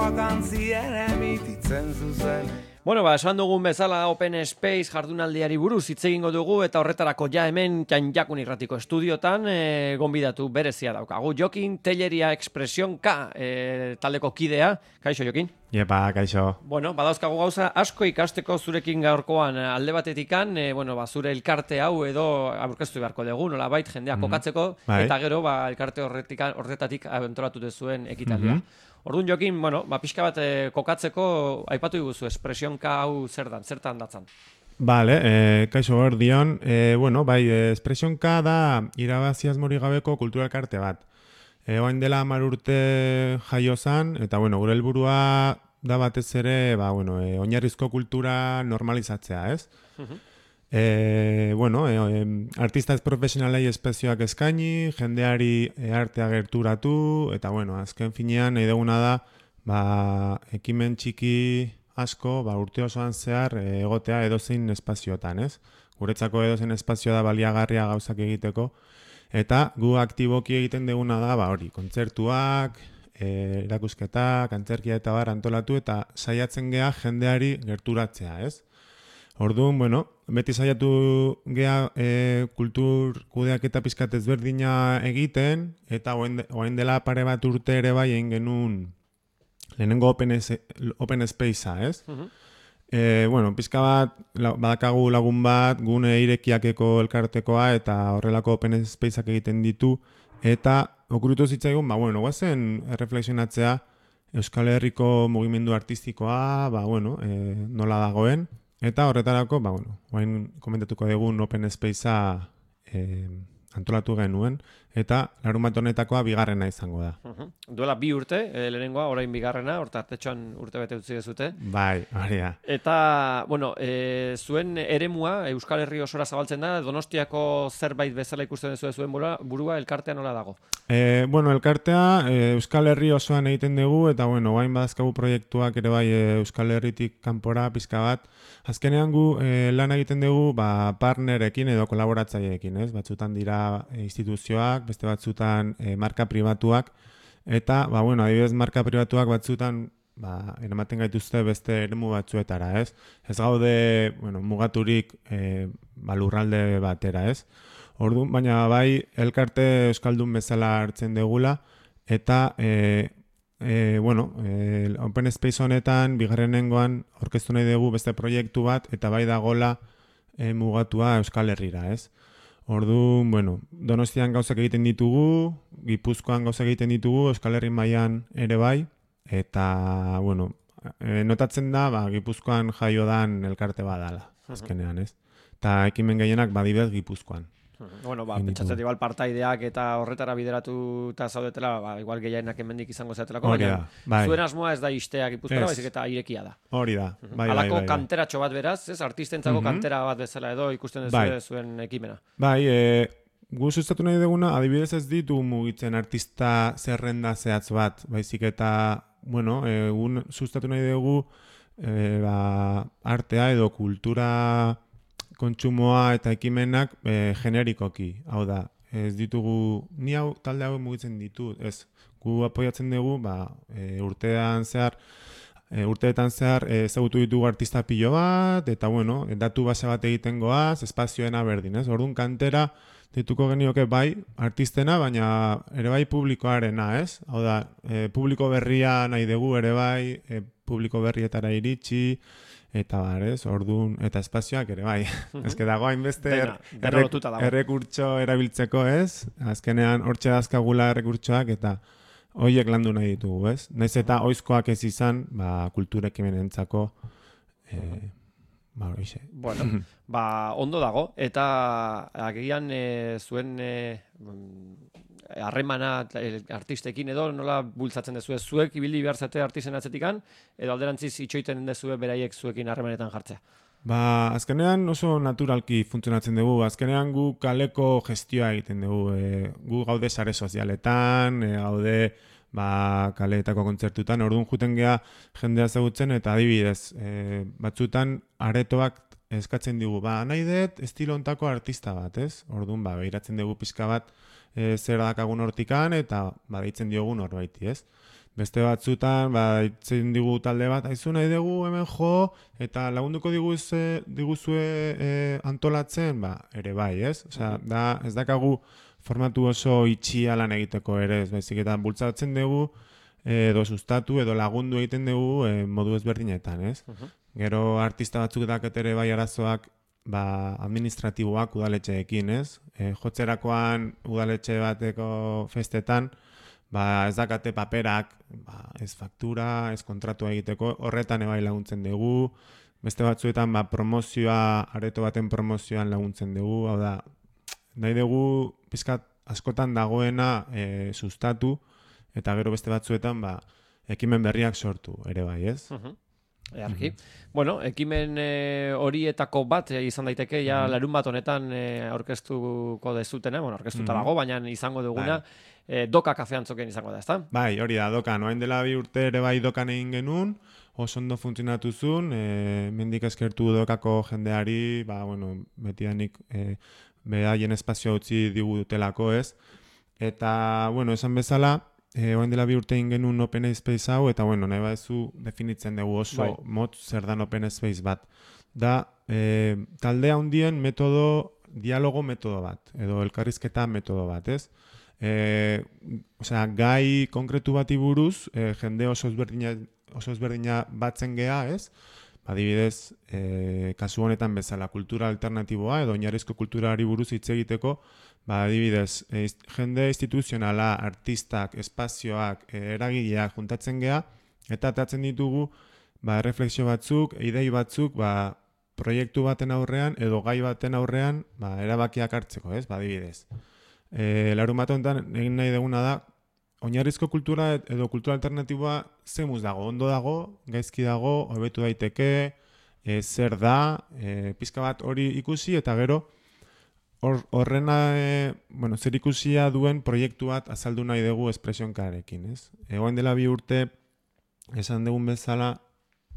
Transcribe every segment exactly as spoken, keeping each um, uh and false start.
Kanpoak antzien emititzen zuzen. Bueno, ba, esan dugun bezala Open Space jardunaldiari buruz hitz egingo dugu eta horretarako ja hemen Janjakun Irratiko estudiotan e, gonbidatu berezia daukagu. Jokin Telleria Expresión K e, taldeko kidea. Kaixo, Jokin? Iepa, kaixo. Bueno, badauzkagu gauza asko ikasteko zurekin gaurkoan alde batetikan, e, bueno, ba, zure elkarte hau edo aurkeztu beharko dugu, nolabait jendea mm-hmm. kokatzeko, bai. Eta gero ba, elkarte horretika, horretatik antolatu dezuen ekitaldia. Mm-hmm. Orduan, Jokin, bueno, ba, pixka bat eh, kokatzeko aipatu iguzu, Expresionka hau zer dan, zertan datzan? Vale, eh, kaixo hor dion, eh, bueno, bai, Expresionka da irabazi asmorik gabeko kultura elkarte bat. E, oain dela hamar urte jaio zan, eta bueno, gure helburua da batez ere, ba, bueno, e, oinarrizko kultura normalizatzea, ez? Uh-huh. E, bueno, e, e, artista ez profesionalei espezioak eskaini, jendeari e, artea gerturatu, eta bueno, azken finean nahi duguna da, ba, ekimen txiki asko, ba, urte osoan zehar e, egotea edozein espazioetan, ez? Guretzako edozein espazio da baliagarria gauzak egiteko, eta gu aktiboki egiten duguna da, ba, hori, kontzertuak, e, erakusketak, antzerkia eta bar antolatu, eta saiatzen gea jendeari gerturatzea, ez? Orduan, bueno, beti saiatu gea e, kultur kudeak eta pizkat ezberdina egiten, eta oain, oain dela pare bat urte ere bai egin genuen lehenengo Open, open Spacea, ez? Uh-huh. E, bueno, pizka bat, la, badakagu lagun bat, gune irekiakeko elkartekoa, eta horrelako Open Spaceak egiten ditu, eta okurritu zitzaigun, ba, bueno, guazen erreflexionatzea Euskal Herriko mugimendu artistikoa, ba, bueno, e, nola dagoen, eta horretarako, ba, bueno, guain komentatuko dugun Open Spacea e, antolatu genuen, eta larun bat honetakoa bigarrena izango da. Uh-huh. Duela bi urte, e, lehenengoa, orain bigarrena, horta artetxoan urte bete utzi dezute. Bai, hori da. Eta, bueno, e, zuen eremua Euskal Herri osora zabaltzen da, Donostiako zerbait bezala ikusten duzu zuen burua, burua elkartea nola dago? E, bueno, elkartea e, Euskal Herri osoan egiten dugu, eta, bueno, guain badazkagu proiektuak ere bai e, Euskal Herritik kanpora pizka bat. Azkenean gu e, lan egiten dugu ba, partnerekin edo kolaboratzaileekin, ez? Batzutan dira e, instituzioak, beste batzutan e, marka pribatuak, eta, ba, bueno, adibidez marka pribatuak batzutan ba, eramaten gaituzte beste eremu batzuetara, ez? Ez gaude, bueno, mugaturik e, ba, lurralde batera, ez? Orduan, baina bai, elkarte euskaldun bezala hartzen degula, eta e, E, bueno, e, Open Space honetan, bigarrenengoan orkestu nahi dugu beste proiektu bat, eta bai dagola e, mugatua Euskal Herrira, ez? Orduan, bueno, Donostian gauzak egiten ditugu, Gipuzkoan gauzak egiten ditugu, Euskal Herri mailan ere bai, eta, bueno, e, notatzen da, ba, Gipuzkoan jaio dan elkarte badala, azkenean, ez? Eta ekimen gehienak badibez Gipuzkoan. Bueno, ba, pentsatzen igual partaideak eta horretara bideratuta zaudetela, ba, igual gehienak hemendik izango zatelako, baina bai. Zuen asmoa ez da isteak Gipuzkoara, baizik eta irekia da. Hori da, bai, bai, Halako bai, bai. kanteratxo bat beraz, ez? Artistentzako Mm-hmm. kantera bat bezala edo ikusten duzu bai. zuen ekimena. Bai, e, gu sustatu nahi duguna, adibidez ez ditu mugitzen artista zerrenda zehatz bat, baizik eta, bueno, e, gun sustatu nahi dugu e, ba, artea edo kultura kontsumoa eta ekimenak e, generikoki, hau da, ez ditugu, ni hau talde hau mugitzen ditu, ez, gu apoiatzen dugu, ba, e, urtean zehar, e, urteetan zehar ezagutu ditugu artista pilo bat, eta bueno, datu base bat egiten goaz, espazioena berdin, ez, orduan kantera, dituko genioke bai, artistena, baina ere bai publikoarena, ez, hau da, e, publiko berria nahi dugu ere bai, e, publiko berrietara iritsi, eta bar, ez, orduan, eta espazioak ere bai. Uh-huh. Ez que dago hainbeste er, errek, errekurtso erabiltzeko, ez? Azkenean hortxe dazkagula errekurtsoak eta horiek landu nahi ditugu, ez? Naiz eta oizkoak ez izan, ba, kulturekimenentzako, eh, ba, horixe. Bueno, ba, ondo dago, eta agian e, zuen e, harremana artistekin edo nola bultzatzen dezue zuek ibili behar zate artisten atzetikan edo alderantziz itxoiten dezue beraiek zuekin harremanetan jartzea? Ba, azkenean oso naturalki funtzionatzen dugu. Azkenean gu kaleko gestioa egiten dugu. E, gu gaude sare sozialetan, e, gaude ba, kaleetako kontzertutan, orduan juten gea jendea ezagutzen eta adibidez, e, batzutan aretoak eskatzen digu, ba, nahi dut estilo ontako artista bat, ez? Orduan, ba, behiratzen dugu pizka bat e, zer dakagun hortikan eta ba, deitzen diogun horbaiti, ez? Beste batzutan, ba, itzen digu talde bat, aizu nahi dugu hemen jo, eta lagunduko diguzue, diguzue e, antolatzen, ba, ere bai, ez? Osea, da, ez dakagu formatu oso itxia lan egiteko ere, ez baizik eta bultzatzen dugu, edo sustatu, edo lagundu egiten dugu e, modu ezberdinetan, ez? Uh-huh. Gero artista batzuk daketere bai arazoak, ba, administratiboak udaletxeekin, ez? E, jotzerakoan udaletxe bateko festetan, ba, ez dakate paperak, ba, ez faktura, ez kontratua egiteko, horretan ebai laguntzen dugu, beste batzuetan ba, promozioa, areto baten promozioan laguntzen dugu, hau da, nahi dugu pizkat askotan dagoena e, sustatu, eta gero beste batzuetan ba, ekimen berriak sortu, ere bai, ez? Uh-huh. Earki. Mm-hmm. Bueno, ekimen e, horietako bat e, izan daiteke, ja mm-hmm. larun bat honetan e, aurkeztuko dezutena, bueno, aurkeztuta mm-hmm. dago, baina izango duguna, e, doka kafean zoken izango da, ezta? Bai, hori da, doka, noain dela bi urte ere bai dokan egin genuen, oso ondo funtzionatu zuen, e, mendik eskertu dokako jendeari, ba, bueno, betidanik e, behaien espazio utzi digu dutelako, ez? Eta, bueno, esan bezala, E, oain dela bi urte genuen open space hau, eta bueno, nahi badezu definitzen dugu oso bai. Mot zer dan open space bat. Da, e, talde handien metodo, dialogo metodo bat, edo elkarrizketa metodo bat, ez? E, osea, gai konkretu bati buruz, e, jende oso ezberdina, oso ezberdina batzen gea, ez? Adibidez, e, kasu honetan bezala kultura alternatiboa, edo oinarrizko kulturari buruz hitz egiteko, ba, adibidez, e, jende instituzionala, artistak, espazioak, e, eragileak juntatzen gea, eta atatzen ditugu ba, refleksio batzuk, idei batzuk, ba, proiektu baten aurrean, edo gai baten aurrean, ba, erabakiak hartzeko, ez? Ba, adibidez. E, larun bat honetan, egin nahi duguna da, oinarrizko kultura edo kultura alternatiboa zemuz dago, ondo dago, gaizki dago, hobetu daiteke, e, zer da, e, pizka bat hori ikusi, eta gero, horrena, e, bueno, zer ikusia duen proiektu bat azaldu nahi dugu espresionkarekin, ez? Egoen dela bi urte, esan dugun bezala,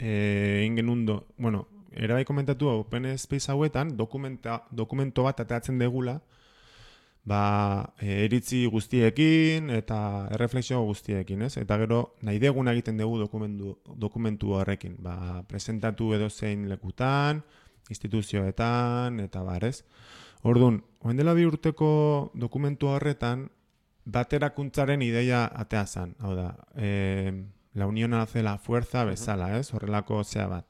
egin genuen, do, bueno, erabai komentatu Open Space hauetan, dokumento bat atatzen degula, ba, e, iritzi guztiekin eta erreflexio guztiekin, ez? Eta gero, nahi deguna egiten dugu dokumentu, dokumentu horrekin, ba, presentatu edo zein lekutan, instituzioetan, eta bar, ez? Orduan, oen dela bi urteko dokumentu horretan, baterakuntzaren ideia atea zan. Hau da, e, la unión hace la fuerza bezala, ez? Horrelako zea bat.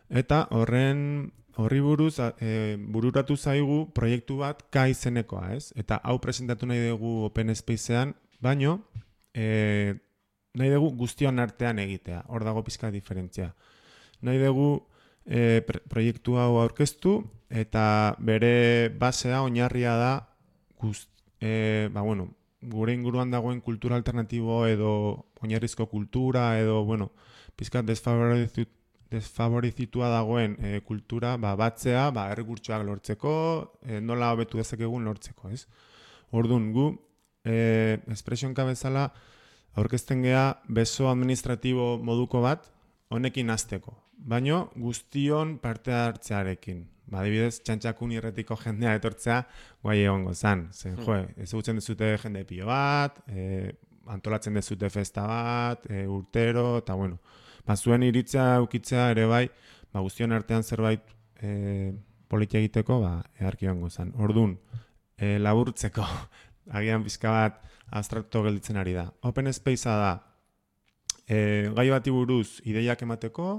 Eta horren horri buruz e, bururatu zaigu proiektu bat K izenekoa, ez? Eta hau presentatu nahi dugu Open Spacean, baino e, nahi dugu guztion artean egitea. Hor dago pizka diferentzia. Nahi dugu e, proiektu hau aurkeztu, eta bere basea oinarria da gust, e, ba, bueno, gure inguruan dagoen kultura alternatibo edo oinarrizko kultura edo, bueno, pizkat desfavorizit, desfavorizitua dagoen e, kultura ba, batzea, ba, errekurtsoak lortzeko, e, nola hobetu dezakegun lortzeko, ez? Orduan, gu, e, espresionka bezala, aurkezten gea beso administratibo moduko bat, honekin hasteko. Baino, guztion parte hartzearekin. Ba, adibidez, txantxakun irretiko jendea etortzea, guai egongo zan. Zen, jo, ezagutzen dezute jende pilo bat, e, antolatzen dezute festa bat, e, urtero, eta bueno, ba, zuen iritzea ukitzea ere bai, ba, guztion artean zerbait e, politia egiteko, ba, eharki egongo zan. Orduan, e, laburtzeko, agian pizka bat abstrakto gelditzen ari da. Open Spacea da, e, gai bati buruz ideiak emateko,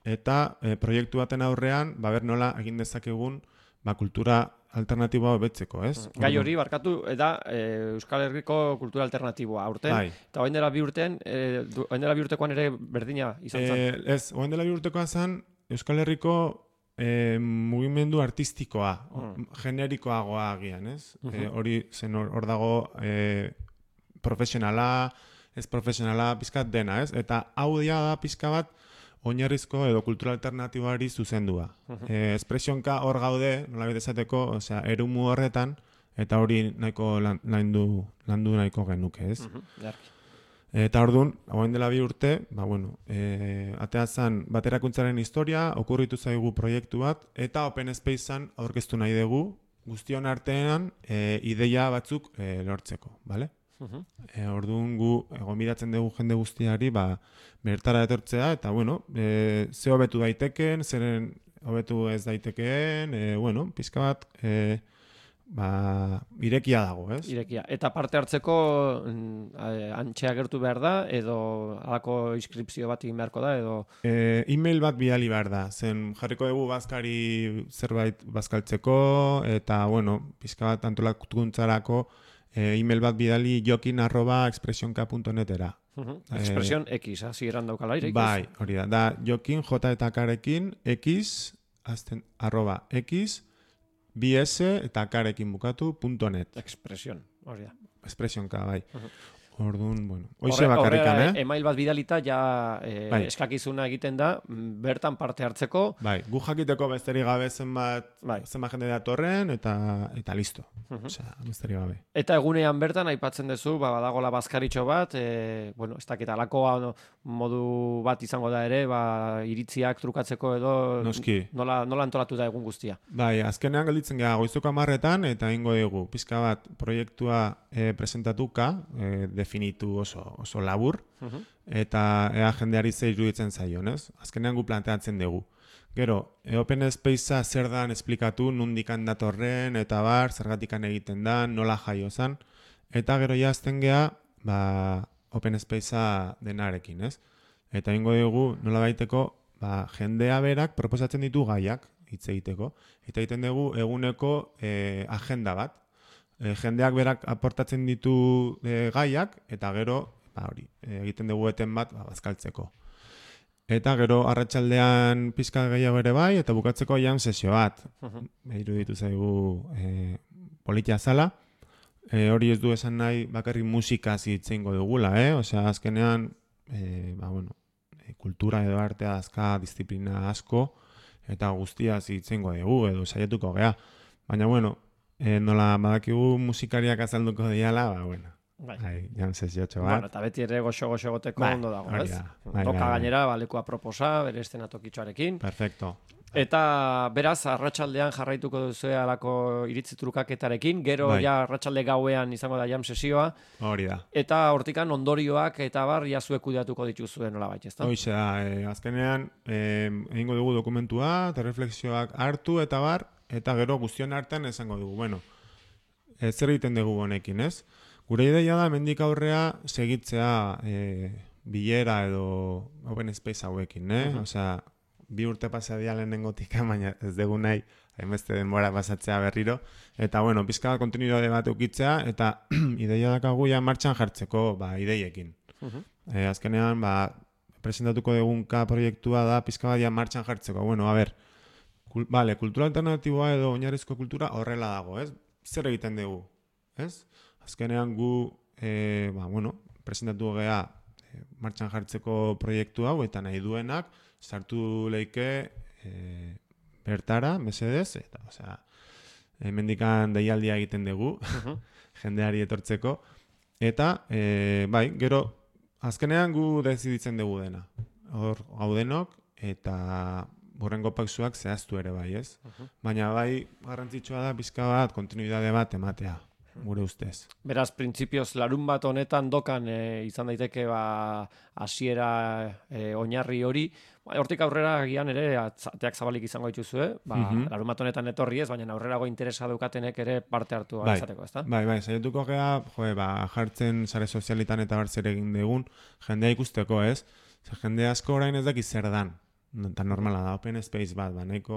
eta e, proiektu baten aurrean, ba, ber nola egin dezakegun, ba, kultura alternatiboa hobetzeko, ez? Gai hori, barkatu, eta e, Euskal Herriko kultura alternatiboa aurten, bai. Eta oain dela bi urtean, e, oain dela bi urtekoan ere berdina izan zen? E, ez, oain dela bi urtekoa zen, Euskal Herriko e, mugimendu artistikoa, mm. generikoagoa agian, ez? Uh-huh. E, hori zen hor, hor dago e, profesionala, ez profesionala, pizkat dena, ez? Eta hau dia da pizka bat, oinarrizko edo kultura alternatiboari zuzendua. Uh-huh. E, espresionka hor gaude, nola bidezateko, osea, erumu horretan, eta hori nahiko lan, landu, landu nahiko genuke, ez? Uh-huh. Eta orduan, hauen dela bi urte, ba, bueno, e, atea zan baterakuntzaren historia, okurritu zaigu proiektu bat, eta Open Spacean aurkeztu nahi dugu, guztion artean e, ideia batzuk e, lortzeko, bale? Uh-huh. E, orduan gu gonbidatzen dugu jende guztiari ba, bertara etortzea, eta bueno, e, ze hobetu daiteken, zeren hobetu ez daitekeen, e, bueno, pizka bat e, ba, irekia dago, ez? Irekia. Eta parte hartzeko antxea gertu behar da, edo alako inskripzio bat egin beharko da, edo... E, e-mail bat bidali behar da, zen jarriko dugu bazkari zerbait bazkaltzeko, eta, bueno, pizka bat antolakuntzarako e, e-mail bat bidali jokin arroba expresionka punto netera. Uh-huh. Expresion e, X, hasi eran daukala ere. Bai, hori da, da jokin j eta karekin X, azten, arroba X, bs eta karekin bukatu punto net. Expresion, hori da. Expresionka, bai. Uh-huh. Orduan, bueno, hoxe bakarrikan, eh? Email bat bidalita ja eh, bai. eskakizuna egiten da, bertan parte hartzeko. Bai, gu jakiteko besterik gabe zenbat, bai. zenbat jende datorren, eta eta listo. Uh-huh. Osea, besterik gabe. Eta egunean bertan aipatzen duzu, ba, badagola bazkaritxo bat, e, bueno, ez dakit alakoa no, modu bat izango da ere, ba, iritziak trukatzeko edo Noski. nola, nola antolatu da egun guztia. Bai, azkenean gelditzen gara goizuko amarretan, eta ingo dugu, pizka bat proiektua e, presentatuka, e, definitu oso, oso labur, uh-huh. eta ea jendeari ze iruditzen zaion, ez? Azkenean gu planteatzen dugu. Gero, e, Open Spacea zer dan esplikatu, nundikan datorren, eta bar, zergatikan egiten da, nola jaio zan, eta gero jazten geha, ba, Open Spacea denarekin, ez? Eta ingo dugu, nola baiteko, ba, jendea berak proposatzen ditu gaiak, hitz egiteko, eta egiten dugu eguneko e, agenda bat, E, jendeak berak aportatzen ditu e, gaiak, eta gero, ba, hori, e, egiten dugu eten bat, ba, bazkaltzeko. Eta gero, arratsaldean pizka gehiago ere bai, eta bukatzeko jam sesio bat. Uh-huh. Iruditu zaigu e, politia zala. E, hori ez du esan nahi bakarrik musikaz hitzeingo dugula, eh? Osea, azkenean, e, ba, bueno, e, kultura edo artea azka disiplina asko, eta guztiaz hitzeingo dugu, edo saiatuko gea. Baina, bueno, E, nola badakigu musikariak azalduko diala, ba, bueno, bai, jan sesiotxo bat. Bueno, eta beti ere goxo-goxo goteko bai, ondo dago, ez? Bai, Toka bai, gainera, balekua proposa, bere estenatokitxoarekin. Perfecto. Eta beraz, arratsaldean jarraituko duzu alako iritzi trukaketarekin, gero bai. ja arratsalde gauean izango da jam sesioa. Hori da. Eta hortikan ondorioak eta bar, ja zuek kudeatuko dituzuen nola bait, ezta? Hoxe da, e, azkenean, egingo dugu dokumentua, eta refleksioak hartu eta bar, eta gero guztion artean esango dugu, bueno, e, zer egiten dugu honekin, ez? Gure ideia da, mendik aurrea segitzea e, bilera edo Open Space hauekin, eh? Uh-huh. Osea, bi urte pasa dia lehenengotik, baina ez dugu nahi, hainbeste denbora pasatzea berriro, eta bueno, pizka kontinuidade bat ukitzea, eta ideia dakagu ja martxan jartzeko ba, ideiekin. Uh-huh. E, azkenean, ba, presentatuko dugunka proiektua da, pizka bat ja martxan jartzeko, bueno, a ber, Kul, vale, kultura alternatiboa edo oinarrizko kultura horrela dago, ez? Zer egiten dugu, ez? Azkenean gu, e, ba, bueno, presentatu gea e, martxan jartzeko proiektu hau, eta nahi duenak, sartu leike e, bertara, mesedez, eta, osea, hemendikan deialdia egiten dugu, uh-huh. jendeari etortzeko, eta, e, bai, gero, azkenean gu deziditzen dugu dena. Hor, gaudenok, eta burrengo pausuak zehaztu ere bai, ez? Uh-huh. Baina bai, garrantzitsua da, pizka bat, kontinuidade bat ematea, gure ustez. Beraz, printzipioz, larun bat honetan dokan e, izan daiteke ba, hasiera e, oinarri hori, ba, hortik aurrera gian ere, ateak zabalik izango dituzue, ba, uh-huh. larun bat honetan etorri ez, baina aurrerago interesa daukatenek ere parte hartu bai. izateko, ezta? Bai, bai, saietuko gea, joe, ba, jartzen sare sozialitan eta bartzer egin dugun, jendea ikusteko, ez? Zer, jende asko orain ez daki zer dan. Eta normala da, Open Space bat, ba, nahiko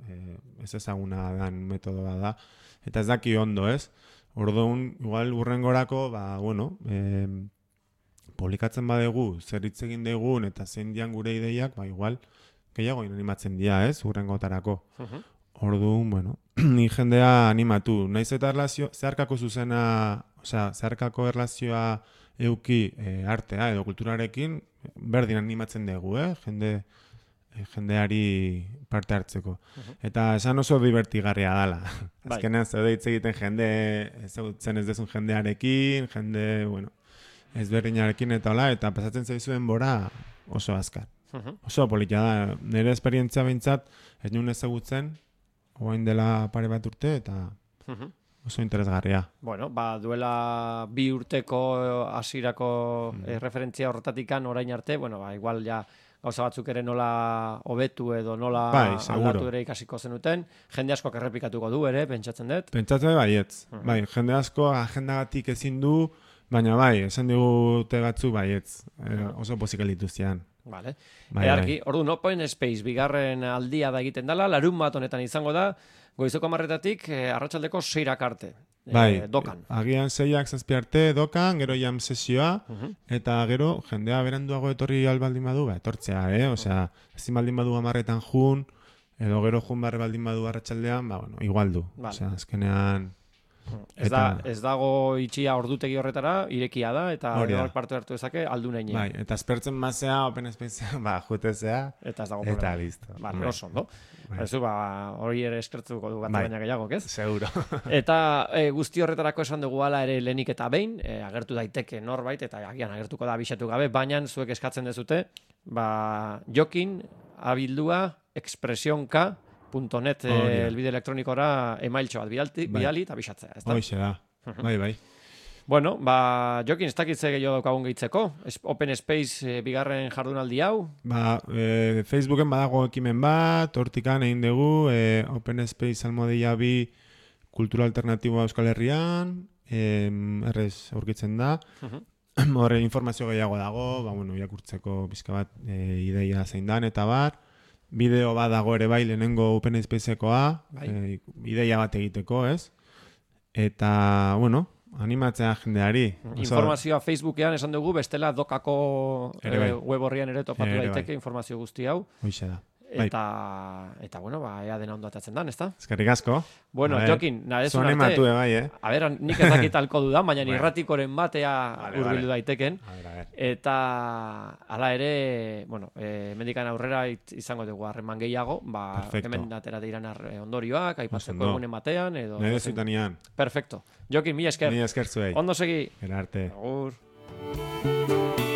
eh, ez ezaguna dan metodoa da, eta ez daki ondo, ez? Orduan, igual urrengorako, ba, bueno, eh, publikatzen badegu, zer hitz egin dugun, eta zein dian gure ideiak, ba, igual, gehiago animatzen dira, ez? Urrengotarako. Uh-huh. Orduan, bueno, ni jendea animatu. Naiz eta erlazio, zeharkako zuzena, osea, zeharkako erlazioa euki eh, artea edo kulturarekin, berdin animatzen dugu, eh? Jende... jendeari parte hartzeko. Uh-huh. Eta esan oso divertigarria dala. Bai. Azkenean zaude hitz egiten jende, ezagutzen ez dezun jendearekin, jende, bueno, ezberdinarekin eta hola, eta pasatzen zaizuen bora oso azkar. Uh-huh. Oso politia da. Nire esperientzia behintzat ez nuen ezagutzen, oain dela pare bat urte, eta uh-huh. oso interesgarria. Bueno, ba, duela bi urteko hasierako mm. referentzia horretatikan orain arte, bueno, ba, igual ja gauza batzuk ere nola hobetu edo nola bai, aldatu ere ikasiko zenuten. Jende asko errepikatuko du ere, pentsatzen dut. Pentsatzen baietz. Uh -huh. Bai, jende asko agendagatik ezin du, baina bai, esan digute batzu baietz. E, oso pozik lituztean. Vale. Bai, Earki, bai. Orduan, Open Space bigarren aldia da egiten dela, larun bat honetan izango da, goizeko marretatik eh, arratsaldeko seirak arte. Bai, eh, dokan. Agian seiak zazpi arte dokan, gero jam sesioa, uh -huh. eta gero jendea beranduago etorri albaldin badu, ba, etortzea, eh? Osea, ezin baldin badu amarretan jun, edo gero jun barre baldin badu arratsaldean, ba, bueno, igual du. Vale. Osea, azkenean... Ez, da, ez dago itxia ordutegi horretara, irekia da, eta horrek parte hartu dezake, aldu neinean. Bai, eta espertzen mazea, Open Space, ba, jutezea, eta ez dago eta problema. listo. Vale, bai. Oso, no? Bai. Ez ba, hori ere eskertzuko du bat bai. Baina gehiago, ez? Seguro. Eta e, guzti horretarako esan dugu ala ere lehenik eta behin, e, agertu daiteke norbait, eta agian agertuko da abisatu gabe, baina zuek eskatzen dezute, ba, jokin, abildua, expresionka, .net oh, eh, elbide elektronikora emailtxo bat bidali, bai. bidali eta bisatzea, ez da? Hoixe da, bai, bai. Bueno, ba, Jokin, ez dakitze gehiago daukagun gehitzeko? Open Space eh, bigarren jardunaldi hau? Ba, eh, Facebooken badago ekimen bat, hortikan egin dugu, eh, Open Space almodia bi kultura alternatiboa Euskal Herrian, eh, errez aurkitzen da, uh-huh. horre informazio gehiago dago, ba, bueno, irakurtzeko bizka bat eh, ideia zein dan, eta bar, bideo bat dago ere bai lehenengo Open Spaceekoa, bai. e, ideia bat egiteko, ez? Eta, bueno, animatzea jendeari. Informazioa Facebookean esan dugu, bestela dokako e, web horrian ere topatu ere daiteke bai. Informazio guzti hau. Hoixe da. Eta, eta bueno, ba, ea dena ondo atatzen dan, ezta? Eskerrik asko. Bueno, Jokin, narezun arte... Animatu bai, eh? A ber, nik ez dakitalko dudan, baina bueno. Irratikoren batea vale, urbildu vale. Daiteken. A ver, a ver. Eta, ala ere, bueno, eh, mendikan aurrera izango dugu harreman gehiago, ba, hemen atera deiran ondorioak, aipatzeko egunen batean, edo... Nire zutanean. Perfecto. Jokin, mila esker. Mila esker zuei. Ondo segi. Gerarte. Agur.